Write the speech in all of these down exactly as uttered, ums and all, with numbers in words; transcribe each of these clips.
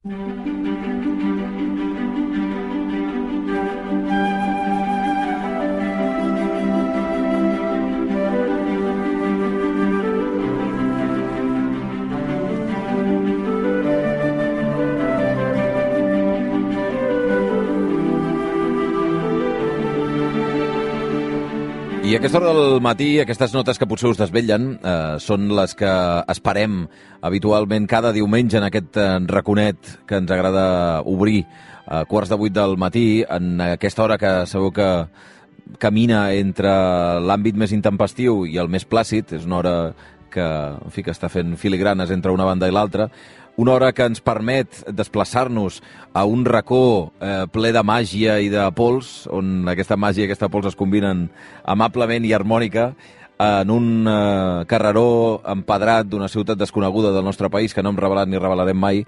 I a aquesta hora del matí, aquestes notes que potser us desvetllen eh, són les que esperem habitualment cada diumenge en aquest eh, raconet que ens agrada obrir a quarts de vuit del matí, en aquesta hora que sabeu que camina entre l'àmbit més intempestiu i el més plàcid. És una hora que, en fi, que està fent filigranes entre una banda i l'altra. Una hora que ens permet desplaçar-nos a un racó eh, ple de màgia i de pols, on aquesta màgia i aquesta pols es combinen amablement i harmònica, en un eh, carreró empedrat d'una ciutat desconeguda del nostre país, que no hem revelat ni revelarem mai,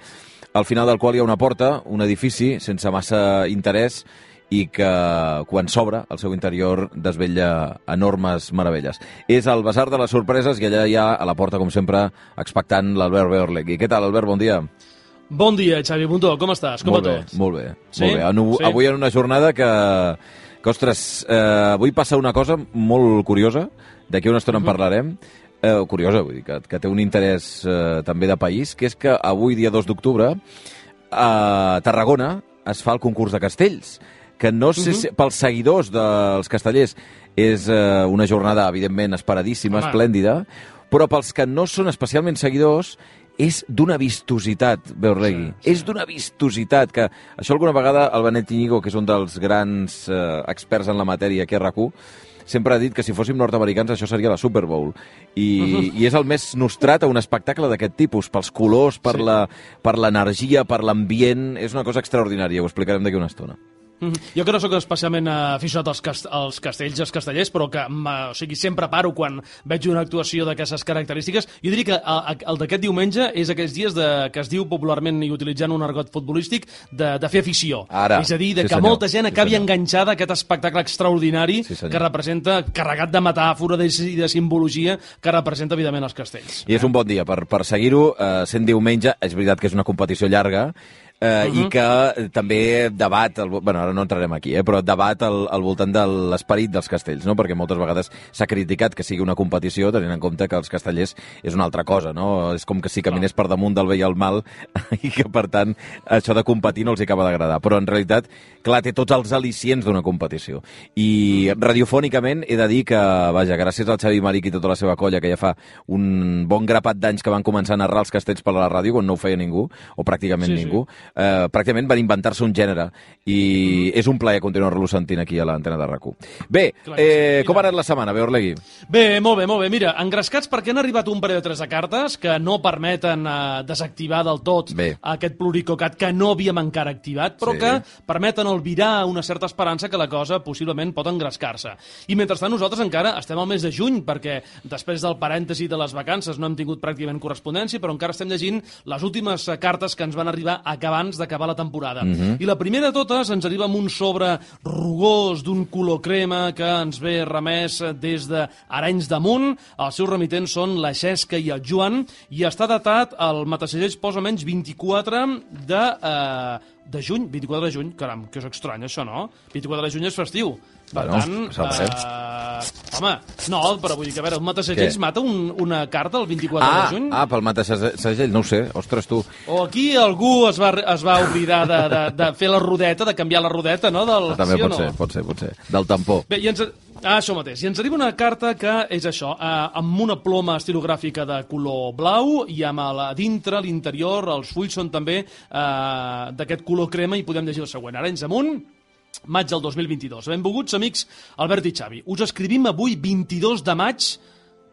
al final del qual hi ha una porta, un edifici sense massa interès, i que, quan s'obre, al seu interior desvetlla enormes meravelles. És el Basar de les Sorpreses i allà hi ha, a la porta, com sempre, expectant l'Albert Beorlegui. Què tal, Albert? Bon dia. Bon dia, Xavi Montó. Com estàs? Com molt va bé, tot? molt bé. Sí? Molt bé. En, sí? Avui en una jornada que, que ostres, eh, avui passa una cosa molt curiosa, d'aquí una estona uh-huh. en parlarem, eh, curiosa, vull dir, que, que té un interès eh, també de país, que és que avui, dia dos d'octubre, a Tarragona es fa el concurs de castells, que no sé si, uh-huh. pels seguidors dels castellers és eh, una jornada, evidentment, esperadíssima, Home. esplèndida, però pels que no són especialment seguidors és d'una vistositat, Beorlegui. Sí, sí. És d'una vistositat, que això alguna vegada el Benet Íñigo, que és un dels grans eh, experts en la matèria aquí a RAC u, sempre ha dit que si fóssim nord-americans això seria la Super Bowl. I, uh-huh. i és el més nostrat a un espectacle d'aquest tipus, pels colors, per sí. la, per l'energia, per l'ambient. És una cosa extraordinària, ho explicarem d'aquí una estona. Jo que no sóc especialment aficionat als, cast als castells i als castellers, però que o sigui, sempre paro quan veig una actuació d'aquestes característiques. Jo diria que el, el d'aquest diumenge és aquells dies de, que es diu popularment, i utilitzant un argot futbolístic, de, de fer afició. Ara, és a dir, de sí que senyor, molta gent sí acabi senyor. enganxada a aquest espectacle extraordinari sí que representa, carregat de metàfora i de, de simbologia, que representa, evidentment, els castells. I és un bon dia per, per seguir-ho, eh, sent diumenge. És veritat que és una competició llarga, Uh, uh-huh. i que també debat, el, bueno, ara no entrarem aquí, eh, però debat al, al voltant de l'esperit dels castells, no? Perquè moltes vegades s'ha criticat que sigui una competició, tenint en compte que els castellers és una altra cosa, no? És com que si caminés per damunt del bé i el mal, i que, per tant, això de competir no els acaba d'agradar. Però, en realitat, clar, té tots els al·licients d'una competició. I radiofònicament he de dir que, vaja, gràcies al Xavi Maric i tota la seva colla, que ja fa un bon grapat d'anys que van començar a narrar els castells per la ràdio, quan no ho feia ningú, o pràcticament sí, ningú, sí. Uh, pràcticament van inventar-se un gènere i mm. és un plaer continuar-lo sentint aquí a l'antena de RAC u. Bé, eh, com ha anat la setmana, Beorlegui? Bé, molt bé, molt bé. Mira, engrescats perquè han arribat un parell de tres de cartes que no permeten uh, desactivar del tot bé. aquest pluricocat que no havíem encara activat, però sí. que permeten albirar una certa esperança que la cosa possiblement pot engrescar-se. I mentrestant nosaltres encara estem al mes de juny, perquè després del parèntesi de les vacances no hem tingut pràcticament correspondència, però encara estem llegint les últimes cartes que ens van arribar acabant abans d'acabar la temporada. Uh-huh. I la primera de totes ens arriba amb un sobre rugós d'un color crema que ens ve remès des d'Arenys de Munt. Els seus remitents són la Xesca i el Joan i està datat, el matacells posa menys vint-i-quatre de, eh, de juny. vint-i-quatre de juny, caram, que és estrany això, no? vint-i-quatre de juny és festiu. Per bueno, tant, uh, home, no, però vull dir que, a veure, un matasegells mata un, una carta el vint-i-quatre ah, de juny? Ah, pel matasegells, no ho sé, ostres, tu. O aquí algú es va, es va oblidar de, de, de fer la rodeta, de canviar la rodeta, no? Del, També sí pot no? ser, pot ser, pot ser. Del tampó. Bé, i ens... Ah, això mateix. I ens arriba una carta que és això, eh, amb una ploma estilogràfica de color blau i amb a dintre, l'interior, els fulls són també eh, d'aquest color crema i podem llegir el següent. Arenys amunt, maig del dos mil vint-i-dos. Benvolguts, amics, Albert i Xavi. Us escrivim avui vint-i-dos de maig.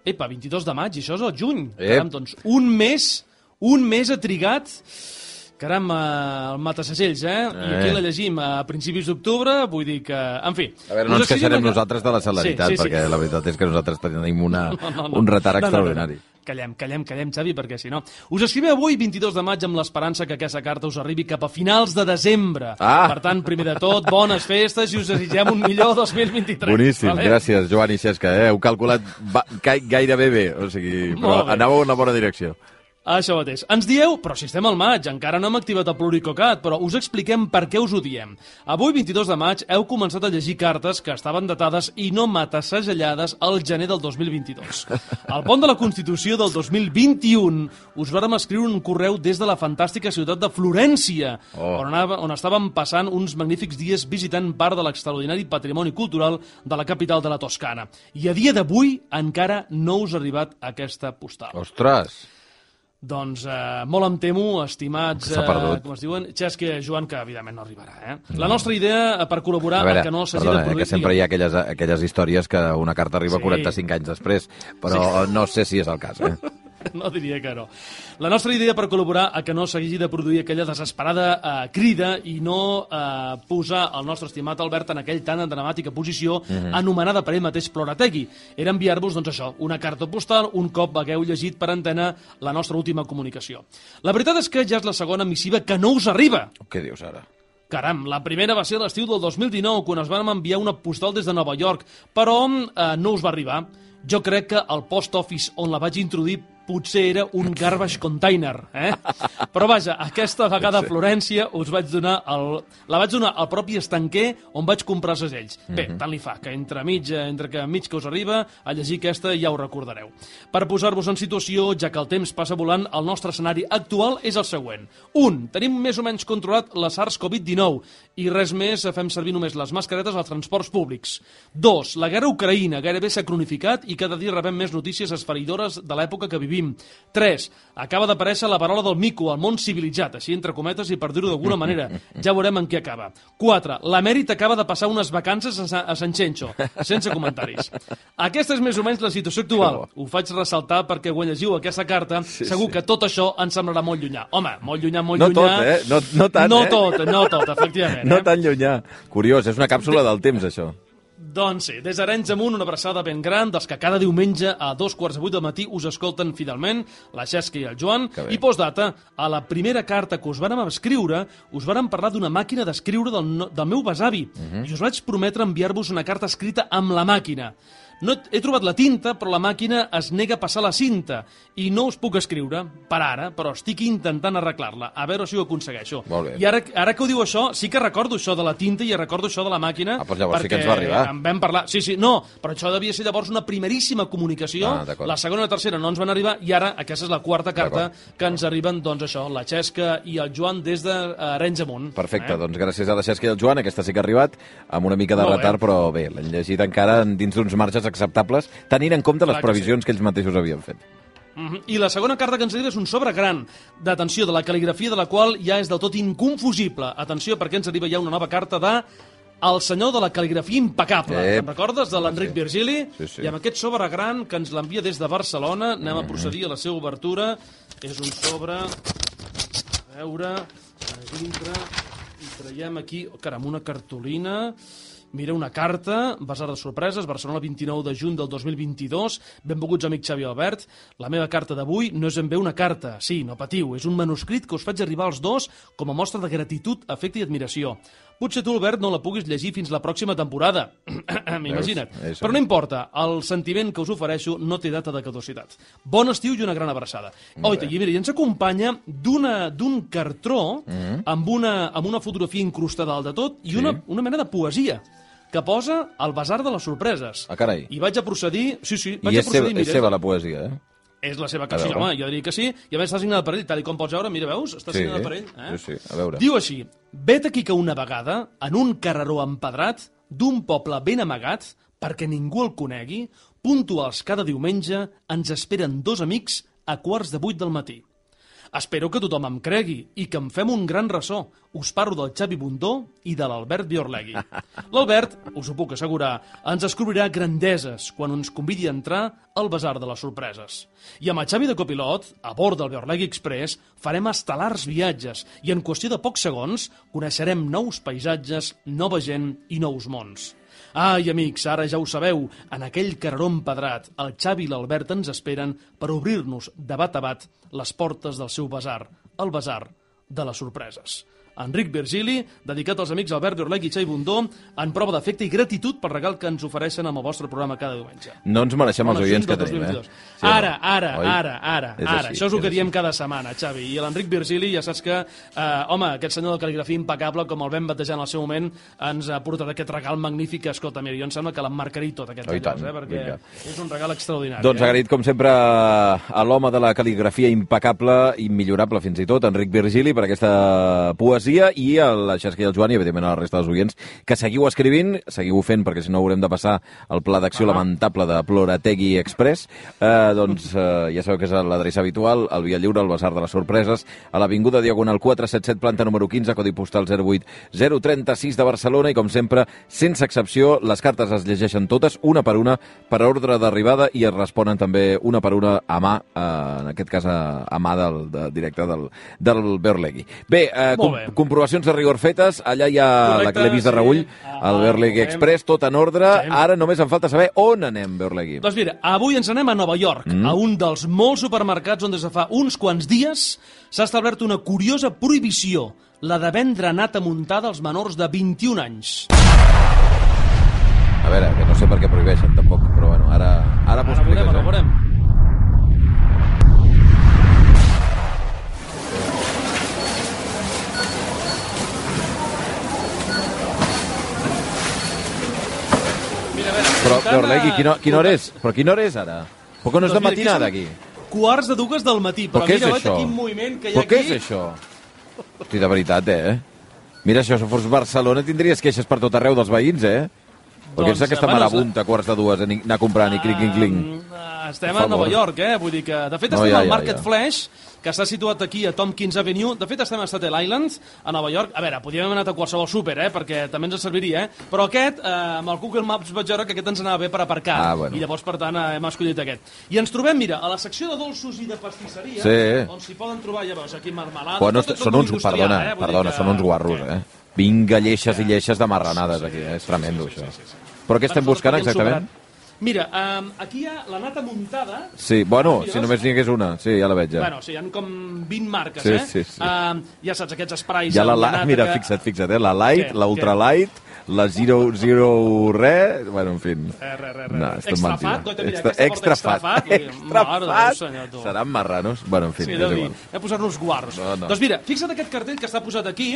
Epa, vint-i-dos de maig, i això és el juny. Caram, doncs, un mes, un mes ha trigat... Caram, uh, el matasegells, eh? eh? I aquí la llegim a principis d'octubre, vull dir que... En fi... A veure, no ens queixarem que... nosaltres de la celeritat, sí, sí, sí. perquè la veritat és que nosaltres tenim una, no, no, no. un retard no, extraordinari. No, no, no. Callem, callem, callem, Xavi, perquè si no... Us escrivim avui, vint-i-dos de maig, amb l'esperança que aquesta carta us arribi cap a finals de desembre. Ah. Per tant, primer de tot, bones festes i us desitgem un millor dos mil vint-i-tres. Boníssim, vale? Gràcies, Joan i Xesca. Eh? Heu calculat gairebé bé, o sigui, però anàveu en la bona direcció. Això mateix. Ens dieu, però si estem al maig, encara no hem activat el Pluricocat, però us expliquem per què us ho diem. Avui, vint-i-dos de maig, heu començat a llegir cartes que estaven datades i no matassegellades al gener del dos mil vint-i-dos. Al pont de la Constitució del dos mil vint-i-un us vàrem escriure un correu des de la fantàstica ciutat de Florència, oh. on, anava, on estàvem passant uns magnífics dies visitant part de l'extraordinari patrimoni cultural de la capital de la Toscana. I a dia d'avui encara no us ha arribat aquesta postal. Ostres! Doncs eh, molt em temo, estimats, eh, com es diuen, Xesca i Joan, que evidentment no arribarà. Eh? No. La nostra idea per col·laborar... A veure, a que no s'hagi perdona, de produir... eh, que sempre hi ha aquelles, aquelles històries que una carta arriba sí. quaranta-cinc anys després, però sí. no sé si és el cas. Eh? No diria que no. La nostra idea per col·laborar a que no s'hagi de produir aquella desesperada eh, crida i no eh, posar el nostre estimat Albert en aquell tan dramàtica posició mm-hmm. anomenada per ell mateix Plorategui. Era enviar-vos, doncs això, una carta postal un cop hagueu llegit per antena la nostra última comunicació. La veritat és que ja és la segona missiva que no us arriba. Què dius ara? Caram, la primera va ser l'estiu del dos mil dinou, quan us vam enviar una postal des de Nova York, però eh, no us va arribar. Jo crec que el post office on la vaig introduir potser era un garbage container, eh? Però vaja, aquesta vegada a Florència us vaig donar el, la vaig donar al propi estanquer on vaig comprar segells. Bé, mm-hmm. tant li fa, que entre mig, entre que mig que us arriba, a llegir aquesta ja ho recordareu. Per posar-vos en situació, ja que el temps passa volant, el nostre escenari actual és el següent. Un, tenim més o menys controlat la SARS covid dinou i res més, fem servir només les mascaretes als transports públics. Dos, la guerra a Ucraïna gairebé s'ha cronificat i cada dia rebem més notícies esfereïdores de l'època que vivim. tres. Acaba d'aparèixer la parola del mico al món civilitzat, així entre cometes i per dir-ho d'alguna manera. Ja veurem en què acaba. quatre. L'emèrit acaba de passar unes vacances a, a Sant Xenxo, sense comentaris. Aquesta és més o menys la situació actual. Ho faig ressaltar perquè quan llegiu aquesta carta, sí, segur sí. que tot això ens semblarà molt llunyà. Home, molt llunyà, molt no llunyà... Tot, eh? No, no tant, no eh? tot, no tot, efectivament. No eh? tan llunyà. Curiós, és una càpsula del temps, això. Doncs sí, des d'Arenys amunt, una abraçada ben gran dels que cada diumenge a dos quarts de vuit del matí us escolten fidelment, la Xesca i el Joan. I postdata, a la primera carta que us vàrem escriure, us vàrem parlar d'una màquina d'escriure del, no, del meu besavi. Uh-huh. I us vaig prometre enviar-vos una carta escrita amb la màquina. No he trobat la tinta, però la màquina es nega a passar la cinta. I no us puc escriure, per ara, però estic intentant arreglar-la. A veure si ho aconsegueixo. I ara, ara que ho diu això, sí que recordo això de la tinta i recordo això de la màquina. Ah, doncs llavors sí que ens va arribar. En vam parlar. Sí, sí, no, però això devia ser llavors una primeríssima comunicació. Ah, la segona i la tercera no ens van arribar i ara aquesta és la quarta carta que ens arriben, doncs això, la Xesca i el Joan des d'Arenys amunt. Perfecte, eh? Doncs gràcies a la Xesca i al Joan, aquesta sí que ha arribat, amb una mica de Molt retard, bé. Però bé, l'hem llegit encara dins d'uns marges acceptables, tenint en compte les previsions que ells mateixos havien fet. Uh-huh. I la segona carta que ens arriba és un sobre gran d'atenció, de la cal·ligrafia de la qual ja és del tot inconfusible. Atenció, perquè ens arriba ja una nova carta de el senyor de la cal·ligrafia impecable. Eh, Te'n recordes? De l'Enric sí. Virgili. Sí, sí. I amb aquest sobre gran que ens l'envia des de Barcelona, anem uh-huh. a procedir a la seva obertura. És un sobre... A veure... A dintre... I traiem aquí... Oh, caram, una cartolina... Mira, una carta, Basar de Sorpreses, Barcelona, vint-i-nou de juny del dos mil vint-i-dos. Benvolguts, amic Xavi Albert. La meva carta d'avui no és ben bé una carta. Sí, no patiu, és un manuscrit que us faig arribar als dos com a mostra de gratitud, afecte i admiració. Potser tu, Albert, no la puguis llegir fins la pròxima temporada. M'imagina't. Però no importa, el sentiment que us ofereixo no té data de caducitat. Bon estiu i una gran abraçada. Oita, i mira, i ens acompanya d'un cartró mm-hmm. amb, una, amb una fotografia incrustada dalt de tot i sí. una, una mena de poesia que posa el Basar de les Sorpreses. Ah, carai. I vaig a procedir... Sí, sí, vaig I a procedir... I és seva la poesia, eh? És la seva cançó, home, jo diria que sí. I a més està signada per ell, tal com pots veure, mira, veus? Està sí, signada per ell. Eh? Sí, sí, a veure. Diu així, vet aquí que una vegada, en un carreró empedrat, d'un poble ben amagat, perquè ningú el conegui, puntuals cada diumenge, ens esperen dos amics a quarts de vuit del matí. Espero que tothom em cregui i que em fem un gran ressò. Us parlo del Xavi Bundó i de l'Albert Biorlegui. L'Albert, us ho puc assegurar, ens descobrirà grandeses quan ens convidi a entrar al Basar de les Sorpreses. I amb el Xavi de copilot, a bord del Biorlegui Express, farem estel·lars viatges i en qüestió de pocs segons coneixerem nous paisatges, nova gent i nous mons. Ai, amics, ara ja ho sabeu, en aquell carreró empedrat, el Xavi i l'Albert ens esperen per obrir-nos de bat a bat les portes del seu basar, el Basar de les Sorpreses. Enric Virgili, dedicat als amics Albert Beorlegui i Xavi Bundó, en prova d'afecte i gratitud per regal que ens ofereixen amb el vostre programa cada diumenge. No ens mereixem els oients que tenim, eh? Sí, ara, ara, ara, ara, ara. Això és el que diem cada setmana, Xavi. I l'Enric Virgili, ja saps que, eh, home, aquest senyor de cal·ligrafia impecable, com el vam batejar en el seu moment, ens ha portat aquest regal magnífic que, escolta, mira, jo em sembla que l'emmarcaré tot, aquest llavors, eh? Perquè vinga. És un regal extraordinari. Doncs agraït, com sempre, a l'home de la cal·ligrafia impecable, immillorable fins i tot, Enric Virgili, per aquesta poesia, i a la Xesca i el Joan, i evidentment a la resta dels oients, que seguiu escrivint, seguiu fent, perquè si no haurem de passar el pla d'acció ah. lamentable de Plorategui Express. Eh, doncs eh, ja sabeu que és l'adreça habitual, al Via Lliure, al Basar de les Sorpreses, a l'Avinguda Diagonal quatre cents setanta i set, planta número quinze, codi postal zero vuit zero tres sis de Barcelona, i com sempre, sense excepció, les cartes es llegeixen totes, una per una, per ordre d'arribada, i es responen també una per una a mà, eh, en aquest cas a, a mà del de, directe del, del Beorlegui. Bé, eh, com, bé, comprovacions de rigor fetes, allà hi ha correcte, la que l'he vist de reüll, sí. el Beorlegui Express, tot en ordre, sí. Ara només em falta saber on anem, Beorlegui. Doncs mira, avui ens anem a Nova York, mm. a un dels molts supermercats on des de fa uns quants dies s'ha establert una curiosa prohibició, la de vendre nata muntada als menors de vint-i-un anys. A veure, que no sé per què prohibeixen, tampoc, però bueno, ara, ara m'ho expliques, eh? Ara veurem, Però, Beorlegui, quina, quina hora és? Però quina hora és ara? Per què no és de matinada, aquí? Quarts de dues del matí, però, però mira, quin moviment que hi ha aquí. Però què és això? Hosti, de veritat, eh? Mira, això, si fos Barcelona tindries queixes per tot arreu dels veïns, eh? Perquè és aquesta bueno, marabunta, quarts de dues, anar comprant i clinc, clinc, clinc. Estem a Nova York, eh? Vull dir que, de fet, estem no, ja, al Market ja, ja. Flash, que està situat aquí a Tompkins Avenue. De fet, estem a Staten Island, a Nova York. A veure, podríem haver anat a qualsevol súper, eh? Perquè també ens serviria, eh? Però aquest, eh, amb el Google Maps vaig veure que aquest ens anava bé per aparcar. Ah, bueno. I llavors, per tant, hem escollit aquest. I ens trobem, mira, a la secció de dolços i de pastisseria, sí. on s'hi poden trobar, ja veus, aquí marmelades... Bueno, són uns, perdona, eh? perdona, que... són uns guarros, eh? Vinga, lleixes sí. i lleixes de marranades, sí, sí, aquí, eh? És tremendo, sí, sí, això. Sí, sí, sí. Però què estem buscant exactament? Mira, um, aquí hi ha la nata muntada... Sí, bueno, si només n'hi hagués una. Sí, ja la veig, ja. Bueno, sí, hi ha com vint marques, sí, eh? Sí, sí. Uh, ja saps, aquests esprais... Ja la, la, mira, que... fixa't, fixa't, eh? La light, la ultra light, la zero, zero re... Bueno, en fi... Eh, re, re, re. No, extra fat, goita, mira, extra, aquesta extra extra fat. Extra fat. Seran marranos. Bueno, en fi, sí, és igual. Hem posat-nos guarros. No, no. Doncs mira, fixa't aquest cartell que està posat aquí,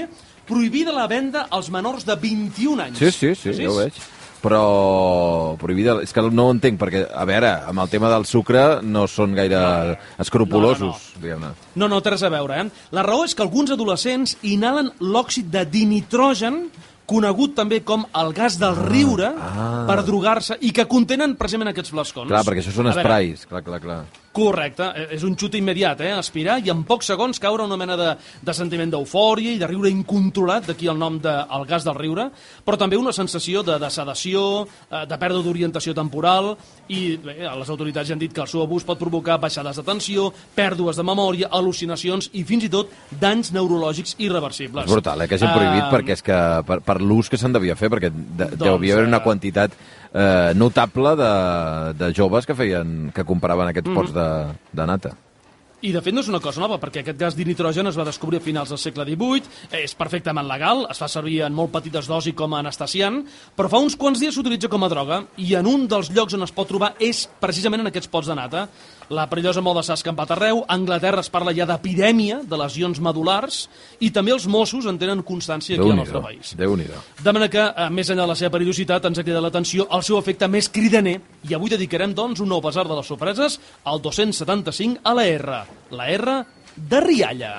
prohibida la venda als menors de vint-i-un anys. Sí, sí, sí, ja ho veig. Però prohibida, és que no ho entenc, perquè, a veure, amb el tema del sucre no són gaire no, escrupulosos, no, no, no. diguem-ne. No, no, té res a veure, eh? La raó és que alguns adolescents inhalen l'òxid de dinitrogen, conegut també com el gas del riure, ah. per drogar-se, i que contenen precisament aquests flascons. Clar, perquè això són esprais, clar, clar, clar. Correcte, és un xut immediat, eh? Aspirar i en pocs segons caure una mena de, de sentiment d'eufòria i de riure incontrolat, d'aquí el nom del de, gas del riure, però també una sensació de, de sedació, de pèrdua d'orientació temporal, i bé, les autoritats ja han dit que el seu abús pot provocar baixades de tensió, pèrdues de memòria, al·lucinacions i fins i tot danys neurològics irreversibles. És brutal, eh, que hagin prohibit, uh, perquè és que per, per l'ús que se'n devia fer, perquè de, doncs, deu haver una quantitat eh, notable de, de joves que feien que compraven aquests mm-hmm. pots de, de nata. I, de fet, no és una cosa nova, perquè aquest gas dinitrogen es va descobrir a finals del segle divuit, és perfectament legal, es fa servir en molt petites dosis com a anestesiant, però fa uns quants dies s'utilitza com a droga, i en un dels llocs on es pot trobar és precisament en aquests pots de nata. La perillosa moda s'ha escampat arreu, a Anglaterra es parla ja d'epidèmia de lesions medulars, i també els Mossos en tenen constància aquí al nostre país. Déu-n'hi-do. De manera que, més enllà de la seva perillositat, ens ha cridat l'atenció el seu efecte més cridaner, i avui dedicarem, doncs, un nou basar de les sorpreses al dos-cents setanta-cinc a la R. La R de Rialla.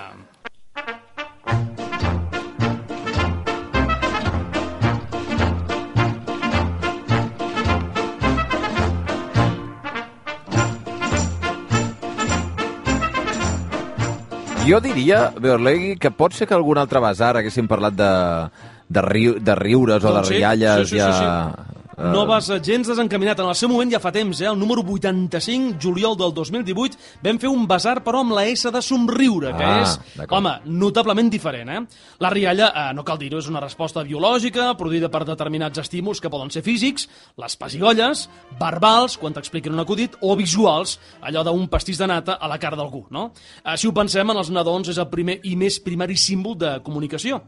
Jo diria, Beorlegui, que pot ser que algun altre basar haguéssim parlat de, de, riu, de riures o de doncs sí, rialles. sí, sí, ja... sí, sí. No vas gens desencaminat. En el seu moment ja fa temps, eh? El número vuitanta-cinc, juliol del dos mil divuit, vam fer un basar, però amb la S de somriure, que ah, és, home, notablement diferent, eh? La rialla, eh, no cal dir-ho, és una resposta biològica, produïda per determinats estímuls que poden ser físics, les pessigolles, verbals, quan t'expliquen un acudit, o visuals, allò d'un pastís de nata a la cara d'algú, no? Eh, si ho pensem, en els nadons és el primer i més primari símbol de comunicació.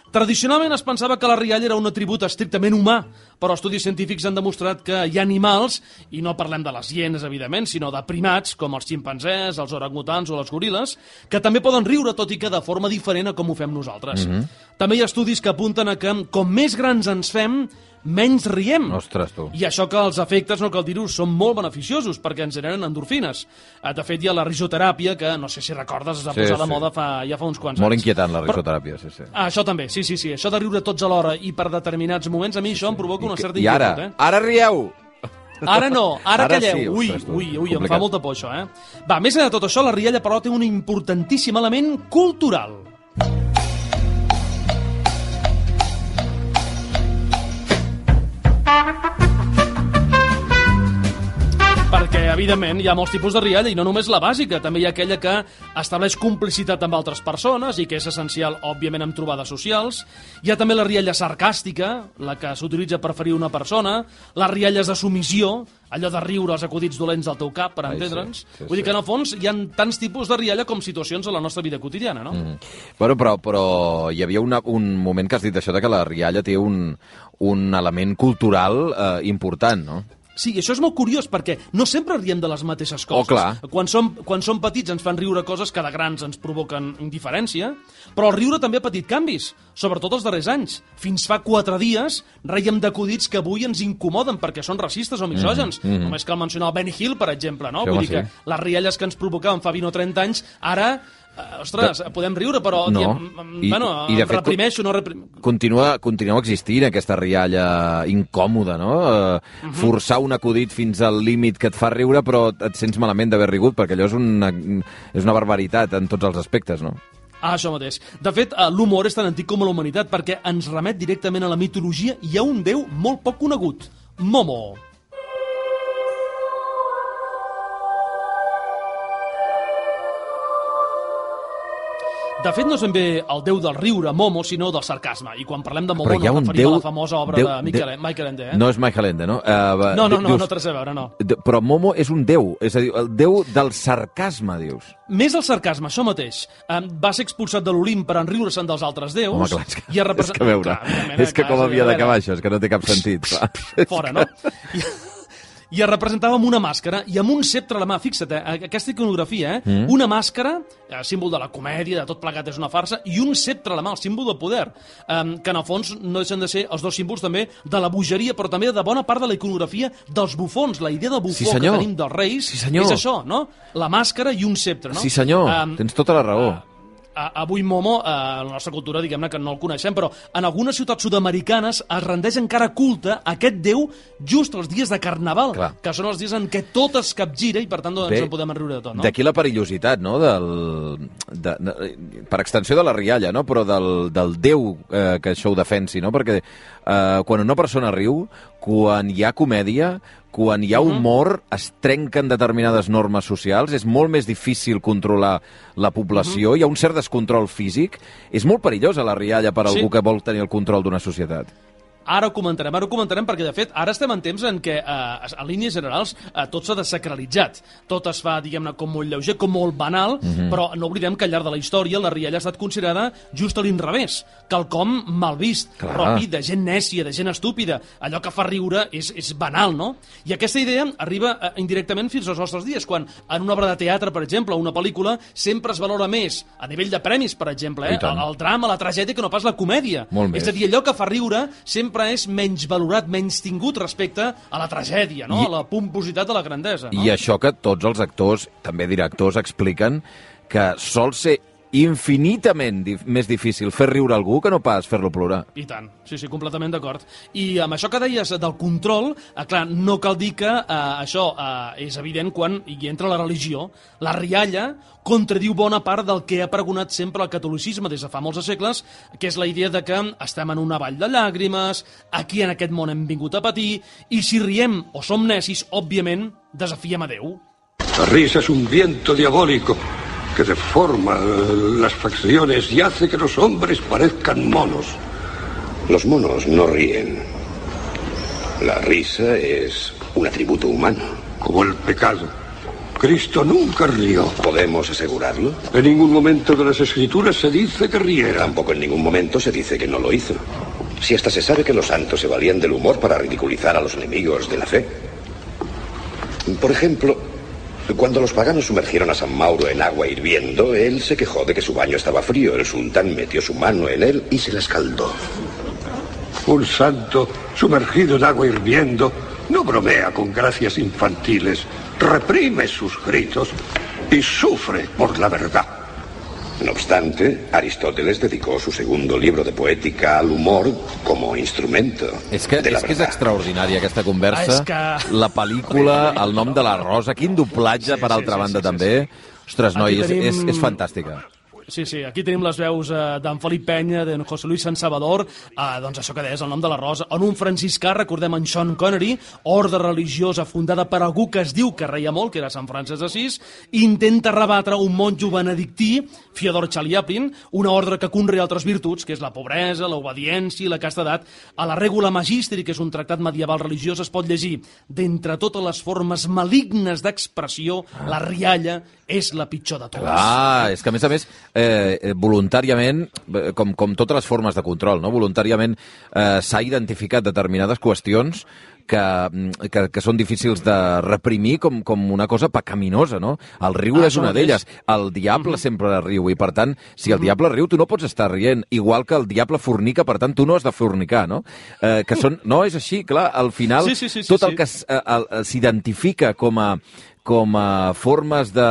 Tradicionalment es pensava que la rialla era un atribut estrictament humà, però estudis científics han demostrat que hi ha animals, i no parlem de les hienes, evidentment, sinó de primats, com els ximpanzés, els orangutans o les goril·les, que també poden riure, tot i que de forma diferent a com ho fem nosaltres. Mm-hmm. També hi ha estudis que apunten a que, com més grans ens fem, menys riem. Ostres, tu. I això que els efectes, no cal dir-ho, són molt beneficiosos perquè ens generen endorfines. De fet, hi ha la risoteràpia, que no sé si recordes, es va sí, posar de sí. moda fa, ja fa uns quants molt anys. Molt inquietant, la risoteràpia, Però, sí, sí. Ah, això també, sí, sí, sí. Això de riure tots alhora i per determinats moments, a mi això sí, sí. em provoca una certa I ara, inquietud. Eh? Ara rieu! Ara no, ara, ara calleu. Sí, ui, ostres, tu, ui, ui, complicat. em fa molta por això, eh? Va, més enllà de tot això, la rialla, però, té un importantíssim element cultural. Perquè, evidentment, hi ha molts tipus de rialla i no només la bàsica, també hi ha aquella que estableix complicitat amb altres persones i que és essencial, òbviament, en trobades socials. Hi ha també la rialla sarcàstica, la que s'utilitza per ferir una persona, les rialles de submissió, allò de riure els acudits dolents del teu cap, per entendre'ns. Sí, sí, Vull dir que, en el fons, hi ha tants tipus de rialla com situacions a la nostra vida quotidiana, no? Mm. Bueno, però, però hi havia una, un moment que has dit això de que la rialla té un, un element cultural eh, important, no? Sí, això és molt curiós, perquè no sempre riem de les mateixes coses. Oh, clar. Quan som, quan som petits ens fan riure coses que de grans ens provoquen indiferència, però el riure també ha patit canvis, sobretot els darrers anys. Fins fa quatre dies reiem d'acudits que avui ens incomoden perquè són racistes o misògens. Mm -hmm. Només cal mencionar el Benny Hill, per exemple, no? Sí, Vull dir sí. que les rialles que ens provocaven fa vint o trenta anys, ara... Ostres, de... podem riure, però no. diem, I, bueno, i de fet, reprimeixo, no reprimeixo. Continua, continua existint aquesta rialla incòmoda, no? Uh, uh-huh. Forçar un acudit fins al límit que et fa riure, però et sents malament d'haver rigut, perquè allò és una, és una barbaritat en tots els aspectes, no? Ah, això mateix. De fet, l'humor és tan antic com la humanitat, perquè ens remet directament a la mitologia i a un déu molt poc conegut, Momo. De fet, no és ben bé el déu del riure, Momo, sinó del sarcasme. I quan parlem de Momo no referim déu, a la famosa obra déu, de Michael, de... Michael Ende. Eh? No és Michael Ende, no? Uh, no, no, no, dius, no té res a veure, no. Però Momo és un déu, és a dir, el déu del sarcasme, dius. Més el sarcasme, això mateix. Um, va ser expulsat de l'Olimp per enriure-se'n dels altres déus. Home, clar, és que, i represent... és que veure, clar, és que clar, com havia d'acabar això, és que no té cap sentit. Clar. Fora, no? I... i es representava amb una màscara i amb un ceptre a la mà. Fixa't, eh? Aquesta iconografia, eh? Mm. Una màscara, eh, símbol de la comèdia, de tot plegat és una farsa, i un ceptre a la mà, el símbol del poder, eh, que en el fons no deixen de ser els dos símbols també de la bogeria, però també de bona part de la iconografia dels bufons. La idea de bufó sí, que tenim dels reis sí, és això, no? La màscara i un ceptre, no? Sí, senyor, um, tens tota la raó. Uh, Avui Momo, eh, la nostra cultura, diguem-ne que no el coneixem, però en algunes ciutats sud-americanes es rendeix encara culte a aquest déu just els dies de Carnaval, clar, que són els dies en què tot es capgira i, per tant, doncs, Bé, en podem enriure de tot, no? D'aquí la perillositat, no?, del, de, de, per extensió de la rialla, no?, però del, del déu eh, que això ho defensi, no?, perquè eh, quan una persona riu, quan hi ha comèdia, quan hi ha humor, es trenquen determinades normes socials, és molt més difícil controlar la població, uh-huh. hi ha un cert descontrol físic, és molt perillosa la rialla per a sí. algú que vol tenir el control d'una societat. Ara ho comentarem, ara ho comentarem, perquè, de fet, ara estem en temps en què, eh, a línies generals, eh, tot s'ha desacralitzat. Tot es fa, diguem-ne, com molt lleuger, com molt banal, mm-hmm. però no oblidem que al llarg de la història la rialla ha estat considerada just a l'inrevés, quelcom mal vist, Clar. propi de gent nècia, de gent estúpida. Allò que fa riure és, és banal, no? I aquesta idea arriba eh, indirectament fins als nostres dies, quan en una obra de teatre, per exemple, o una pel·lícula, sempre es valora més, a nivell de premis, per exemple, eh, el, el drama, la tragèdia, que no pas la comèdia. Molt és més. a dir, allò que fa riure sempre és menys valorat, menys tingut respecte a la tragèdia, no? I, a la pompositat de la grandesa. No? I això que tots els actors, també directors, expliquen que sol ser infinitament dif més difícil fer riure algú que no pas fer-lo plorar. I tant, sí, sí, completament d'acord. I amb això que deies del control, eh, clar, no cal dir que eh, això eh, és evident quan hi entra la religió. La rialla contradiu bona part del que ha pregonat sempre el catolicisme des de fa molts segles, que és la idea de que estem en una vall de llàgrimes, aquí en aquest món hem vingut a patir, i si riem o som necis, òbviament, desafiem a Déu. La risa es un viento diabólico que deforma las facciones y hace que los hombres parezcan monos. Los monos no ríen. La risa es un atributo humano. Como el pecado. Cristo nunca rió. ¿Podemos asegurarlo? En ningún momento de las Escrituras se dice que riera. Tampoco en ningún momento se dice que no lo hizo. Si hasta se sabe que los santos se valían del humor para ridiculizar a los enemigos de la fe. Por ejemplo, cuando los paganos sumergieron a San Mauro en agua hirviendo, él se quejó de que su baño estaba frío. El sultán metió su mano en él y se la escaldó. Un santo sumergido en agua hirviendo no bromea con gracias infantiles, reprime sus gritos y sufre por la verdad. No obstante, Aristóteles dedicó su segundo libro de poética al humor como instrumento és que, de la és que és verdad. extraordinària aquesta conversa, Ah, que... la pel·lícula, el nom de la Rosa, quin doblatge, Sí, per sí, altra sí, banda, sí, sí, també. sí. Ostres, noi, Aquí és, tenim- és, és fantàstica. Sí, sí, aquí tenim les veus eh, d'en Felip Penya, d'en José Luis San Salvador, eh, doncs això que deies, el nom de la Rosa, en un franciscà, recordem en Sean Connery, ordre religiosa fundada per algú que es diu que reia molt, que era Sant Francis d'Assís, intenta rebatre un monjo benedictí, Fyodor Chaliapin, una ordre que conrea altres virtuts, que és la pobresa, l'obediència i la castedat. A la Regula Magistri, que és un tractat medieval religiós, es pot llegir: d'entre totes les formes malignes d'expressió, la rialla és la pitjor de totes. Clar, és que a més a més, eh, voluntàriament, eh, com, com totes les formes de control, no? voluntàriament eh, s'ha identificat determinades qüestions que, que, que són difícils de reprimir com, com una cosa pecaminosa, no? El riure Ah, és una això mateix. d'elles. El diable uh-huh. sempre riu, i per tant, si el diable riu, tu no pots estar rient, igual que el diable fornica, per tant, tu no has de fornicar, no? Eh, que són... No, és així, clar, al final, Sí, sí, sí, sí, tot el sí. que s- eh, el- s'identifica com a com a formes de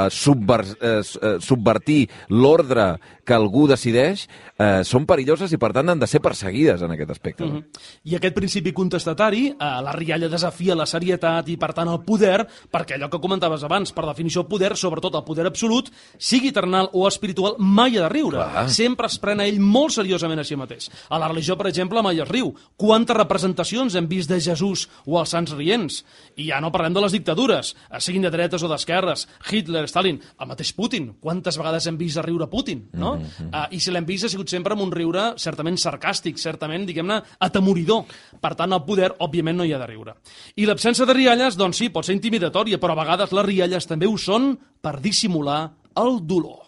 subver, eh, s- eh, subvertir l'ordre que algú decideix, eh, són perilloses i, per tant, han de ser perseguides en aquest aspecte. No? Mhm. I aquest principi contestatari, eh, la rialla desafia la serietat i, per tant, el poder, perquè allò que comentaves abans, per definició, el poder, sobretot el poder absolut, sigui terrenal o espiritual, mai ha de riure. Clar. Sempre es pren a ell molt seriosament a si mateix. A la religió, per exemple, mai es riu. Quantes representacions hem vist de Jesús o els sants rients? I ja no parlem de les dictadures, eh, siguin de dretes o d'esquerres, Hitler, Stalin, el mateix Putin. Quantes vegades hem vist a riure Putin, no? Mm-hmm. uh, I si l'hem vist ha sigut sempre amb un riure certament sarcàstic, certament, diguem-ne, atemoridor. Per tant, el poder, òbviament, no hi ha de riure. I l'absència de rialles, doncs sí, pot ser intimidatòria, però a vegades les rialles també ho són per dissimular el dolor.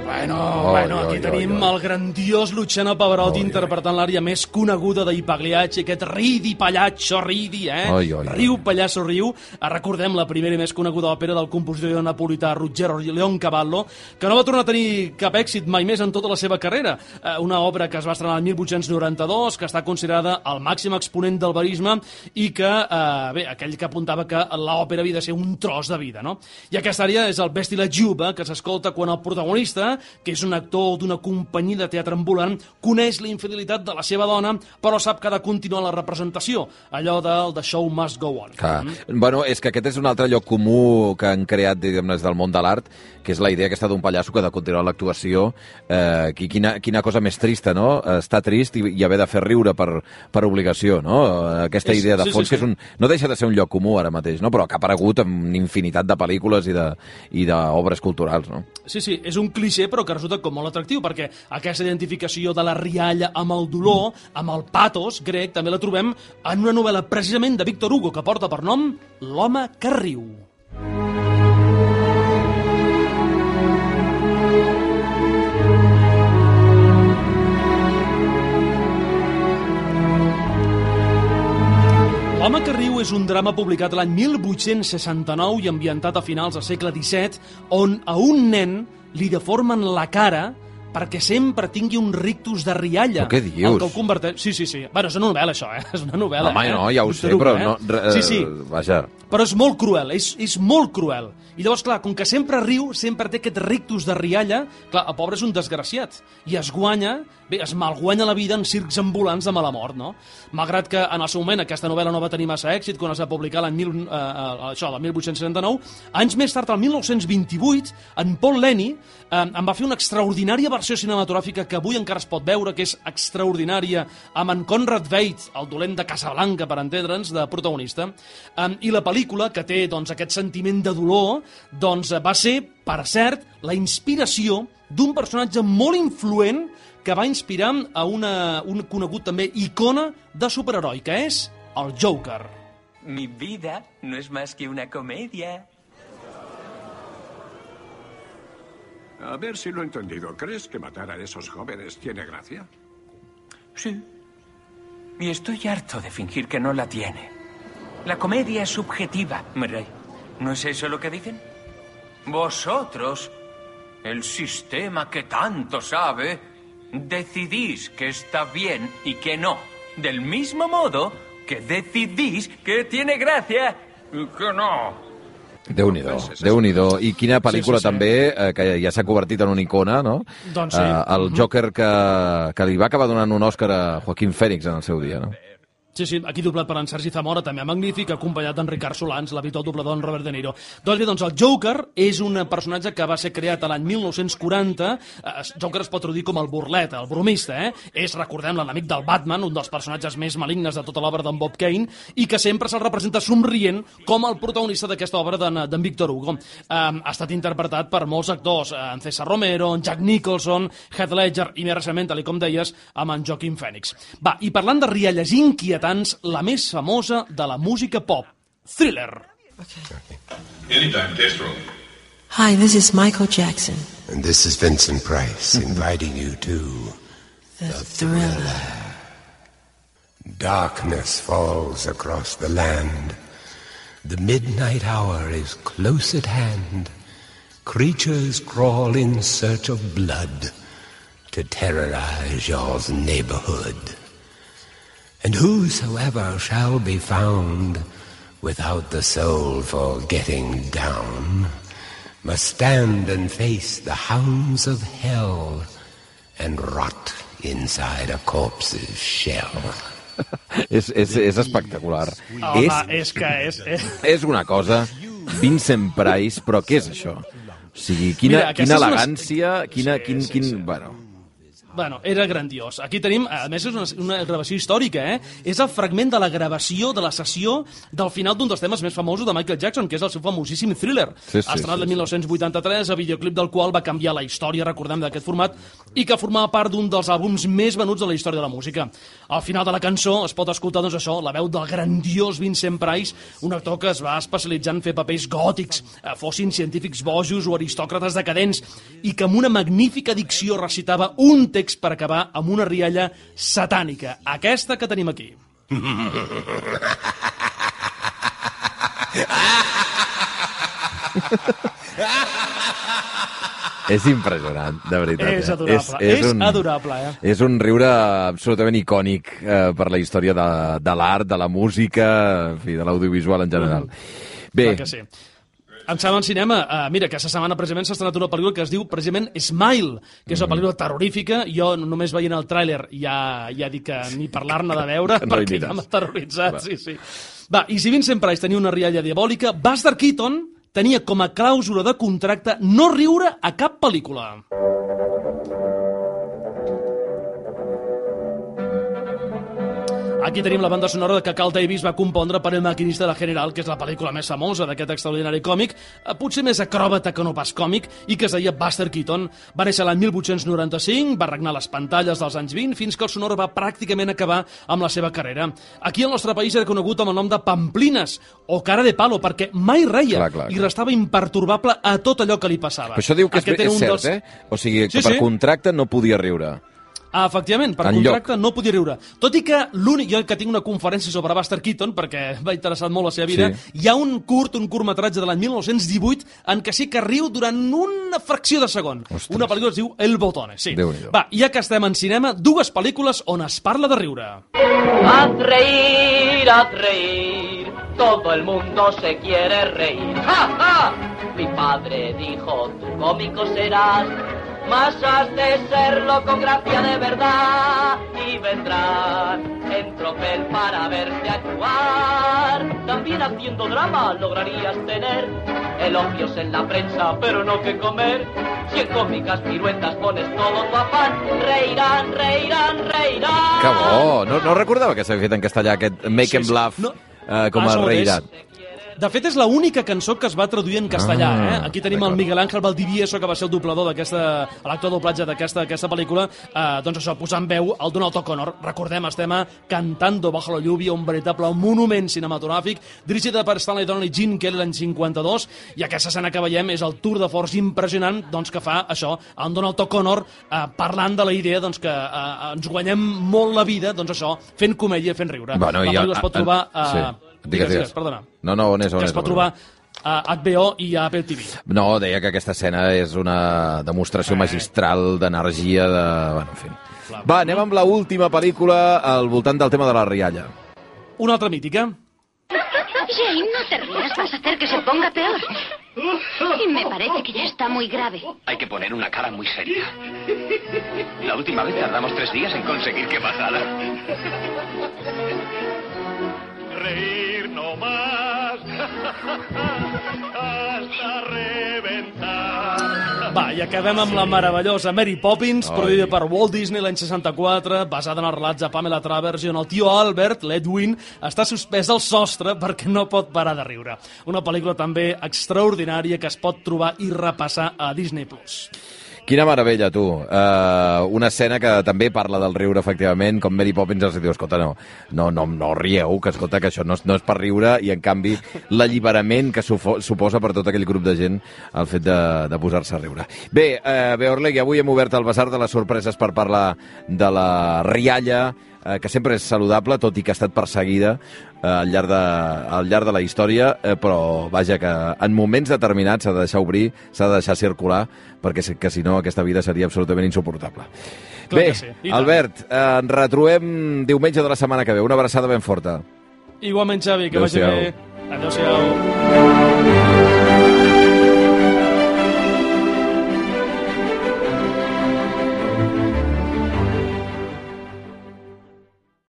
Bueno, bueno, aquí oi, tenim oi, oi. el grandiós Luciano Pavarotti interpretant l'ària més coneguda d'I Pagliacci, aquest ridi pagliaccio ridi, eh? Oi, oi, oi. Riu pallasso riu. Eh, Recordem la primera i més coneguda òpera del compositor napolità Ruggero Leoncavallo, que no va tornar a tenir cap èxit mai més en tota la seva carrera. Eh, Una obra que es va estrenar el mil vuit-cents noranta-dos, que està considerada el màxim exponent del verisme i que, eh, bé, aquell que apuntava que l'òpera havia de ser un tros de vida, no? I aquesta àrea és el Vesti la Giuba, que s'escolta quan el protagonista, que és un actor d'una companyia de teatre ambulant, coneix la infidelitat de la seva dona, però sap que ha de continuar la representació, allò del The Show Must Go On. Clar. Mm. Bueno, és que aquest és un altre lloc comú que han creat, diguem-ne, des del món de l'art, que és la idea aquesta d'un pallasso que ha de continuar l'actuació. Eh, quina, quina cosa més trista, no? Estar trist i, i haver de fer riure per, per obligació, no? Aquesta És- idea de sí, fons, sí, sí. que és un, no deixa de ser un lloc comú ara mateix, no? Però que ha aparegut en infinitat de pel·lícules i de- i d'obres culturals, no? Sí, sí, és un clixé, però que resulta com molt atractiu. significatiu, perquè aquesta identificació de la rialla amb el dolor, amb el patos grec, també la trobem en una novel·la precisament de Víctor Hugo que porta per nom L'home que riu. L'home que riu és un drama publicat l'any mil vuit-cents seixanta-nou i ambientat a finals del segle disset, on a un nen li deformen la cara perquè sempre tingui un rictus de rialla. Però què dius? El que el converteix... Sí, sí, sí. Bueno, és una novel·la, això, eh? És una novel·la, Home, eh? no, ja ho sé, Truc, però eh? no... Re, sí, sí. Vaja. Però és molt cruel, és, és molt cruel. I llavors, clar, com que sempre riu, sempre té aquest rictus de rialla, clar, el pobre és un desgraciat. I es guanya, bé, es malguanya la vida en circs ambulants de mala mort, no? Malgrat que en el seu moment aquesta novel·la no va tenir massa èxit, quan es va publicar l'any mil, eh, això, el mil vuit-cents setanta-nou, anys més tard, el mil nou-cents vint-i-vuit, en Paul Leni eh, en va fer una extraordinària versió cinematogràfica que avui encara es pot veure, que és extraordinària, amb en Conrad Veidt, el dolent de Casablanca, per entendre'ns, de protagonista. Eh, I la pel·lícula, que té doncs, aquest sentiment de dolor, doncs va ser, per cert, la inspiració d'un personatge molt influent que va inspirar a una, un conegut també icona de superheroi, que és el Joker. Mi vida no es más que una comedia. A ver si lo he entendido. ¿Crees que matar a esos jóvenes tiene gracia? Sí. Y estoy harto de fingir que no la tiene. La comedia es subjetiva, Murray. ¿No es eso lo que dicen? Vosotros, el sistema que tanto sabe, decidís que está bien y que no. Del mismo modo que decidís que tiene gracia y que no. Déu-n'hi-do, Déu-n'hi-do. I quina pel·lícula sí, sí, sí. també, eh, que ja s'ha convertit en una icona, no? Doncs sí. Eh, el Joker que, que li va acabar donant un Òscar a Joaquín Phoenix en el seu dia, no? Sí, sí, aquí doblat per en Sergi Zamora, també magnífic, acompanyat d'en Ricard Solans, l'habitual doblador en Robert De Niro. Doncs bé, doncs el Joker és un personatge que va ser creat a l'any mil nou-cents quaranta. Eh, Joker es pot traduir com el burlet, el bromista, eh? És, recordem, l'enemic del Batman, un dels personatges més malignes de tota l'obra d'en Bob Kane, i que sempre se'l representa somrient com el protagonista d'aquesta obra d'en Víctor Hugo. Eh, ha estat interpretat per molts actors, eh, en César Romero, en Jack Nicholson, Heath Ledger, i més recentment, tal com deies, amb en Joaquin Phoenix. Va, i parlant de rialles inquietants, la més famosa de la música pop, Thriller. Okay. Anytime, test roll. Hi, this is Michael Jackson. And this is Vincent Price, inviting you to The, the Thriller. thriller. Darkness falls across the land. The midnight hour is close at hand. Creatures crawl in search of blood to terrorize your neighborhood. And whosoever shall be found without the soul for getting down must stand and face the hounds of hell and rot inside a corpse's shell. és, és, és espectacular. Home, és, és que és... És, és una cosa, Vincent Price, però què és això? O sigui, quina, Mira, quina elegància, una... quina, sí, quin, sí, quin... Sí. Bueno... Bueno, era grandiós. Aquí tenim, a més, és una, una gravació històrica, eh? És el fragment de la gravació de la sessió del final d'un dels temes més famosos de Michael Jackson, que és el seu famosíssim Thriller. Sí, sí, estrenat sí, el mil nou-cents vuitanta-tres, el videoclip del qual va canviar la història, recordem, d'aquest format, i que formava part d'un dels àlbums més venuts de la història de la música. Al final de la cançó es pot escoltar, doncs això, la veu del grandiós Vincent Price, un actor que es va especialitzar en fer papers gòtics, fossin científics bojos o aristòcrates decadents, i que amb una magnífica dicció recitava un text per acabar amb una rialla satànica. Aquesta que tenim aquí. És impressionant, de veritat. És eh? adorable, és, és, és un, adorable, eh? És un riure absolutament icònic eh, per la història de, de l'art, de la música, en fi, de l'audiovisual en general. Mm. Bé, clar que sí. Em sembla en cinema, uh, mira, que aquesta setmana precisament s'ha estrenat una pel·lícula que es diu precisament Smile, que és una pel·lícula terrorífica. Jo només veient el tràiler ja, ja dic que ni parlar-ne de veure, no perquè ja m'ha terroritzat. Sí, sí. Va, i si Vincent Price tenia una rialla diabòlica, Buster Keaton tenia com a clàusula de contracte no riure a cap pel·lícula. Aquí tenim la banda sonora que Carl Davis va compondre per El maquinista de la General, que és la pel·lícula més famosa d'aquest extraordinari còmic, potser més acròbata que no pas còmic, i que es deia Buster Keaton. Va néixer l'any mil vuit-cents noranta-cinc, va regnar les pantalles dels anys vint, fins que el sonor va pràcticament acabar amb la seva carrera. Aquí al nostre país era conegut amb el nom de Pamplines, o cara de palo, perquè mai reia, clar, clar, clar. i restava imperturbable a tot allò que li passava. Però això diu que és, és cert, dels... eh? O sigui, que sí, per sí. contracte no podia riure. Ah, efectivament, per contracte no podia riure. Tot i que l'únic, jo que tinc una conferència sobre Buster Keaton, perquè m'ha interessat molt la seva vida, sí. hi ha un curt, un curtmetratge de l'any mil nou-cents divuit en què sí que riu durant una fracció de segon. Ostres. Una pel·lícula es diu El Botone. Sí. Va, ja que estem en cinema, dues pel·lícules on es parla de riure. Haz reír, haz reír, todo el mundo se quiere reír. ¡Ja, ja! Mi padre dijo, tu cómico serás, mas has de serlo con gracia de verdad, y vendrán en tropel para verte actuar. También haciendo drama lograrías tener elogios en la prensa, pero no que comer. Si en cómicas piruetas pones todo tu afán, reirán, reirán, reirán. Que bo! No, no recordava que s'havia fet en castellà aquest Make sí, and Bluff sí. no. uh, com a reirat. De fet, és l'única cançó que es va traduir en castellà. Ah, eh? Aquí tenim el Miguel Ángel Valdivieso, que va ser el doblador d'aquesta, l'actor doblatge d'aquesta pel·lícula, eh, doncs això, posant veu al Donald O'Connor. Recordem, estem a Cantando bajo la lluvia, un veritable monument cinematogràfic, dirigida per Stanley Donen i Gene Kelly l'any cinquanta-dos, i aquesta escena que veiem és el tour de force impressionant doncs, que fa això, en Donald O'Connor eh, parlant de la idea doncs, que eh, ens guanyem molt la vida, doncs això, fent comèdia, fent riure. Bueno, la pel·lícula es pot trobar... Eh, sí. Digues, digues, perdona. No, no, on és, on que és, es pot trobar a H B O i a Apple T V. No, deia que aquesta escena és una demostració eh. magistral d'energia, de... Bueno, en fi. Clar, Va, anem amb l'última pel·lícula al voltant del tema de la rialla. Una altra mítica. Jane, no te rías, vas a hacer que se ponga peor. Y me parece que ya está muy grave. Hay que poner una cara muy seria. La última vez tardamos tres días en conseguir que pasara. Reír no más hasta reventar. Va, i acabem amb la meravellosa Mary Poppins, Oi. produïda per Walt Disney l'any seixanta-quatre, basada en els relats de Pamela Travers, i on el tio Albert, l'Edwin, està suspès al sostre perquè no pot parar de riure. Una pel·lícula també extraordinària que es pot trobar i repassar a Disney Plus. Quina meravella, tu. Uh, una escena que també parla del riure, efectivament, com Mary Poppins els diu, escolta, no, no, no, no rieu, que escolta, que això no, no és per riure, i en canvi l'alliberament que suposa per tot aquell grup de gent el fet de, de posar-se a riure. Bé, uh, bé, Orlegui, avui hem obert el basar de les sorpreses per parlar de la rialla, eh, que sempre és saludable, tot i que ha estat perseguida eh, al, llarg de, al llarg de la història, eh, però vaja, que en moments determinats s'ha de deixar obrir, s'ha de deixar circular, perquè que, si no aquesta vida seria absolutament insuportable. Clar Bé, sí. Albert, eh, ens retrobem diumenge de la setmana que ve. Una abraçada ben forta. Igualment, Xavi, que vagi bé. Adéu-siau.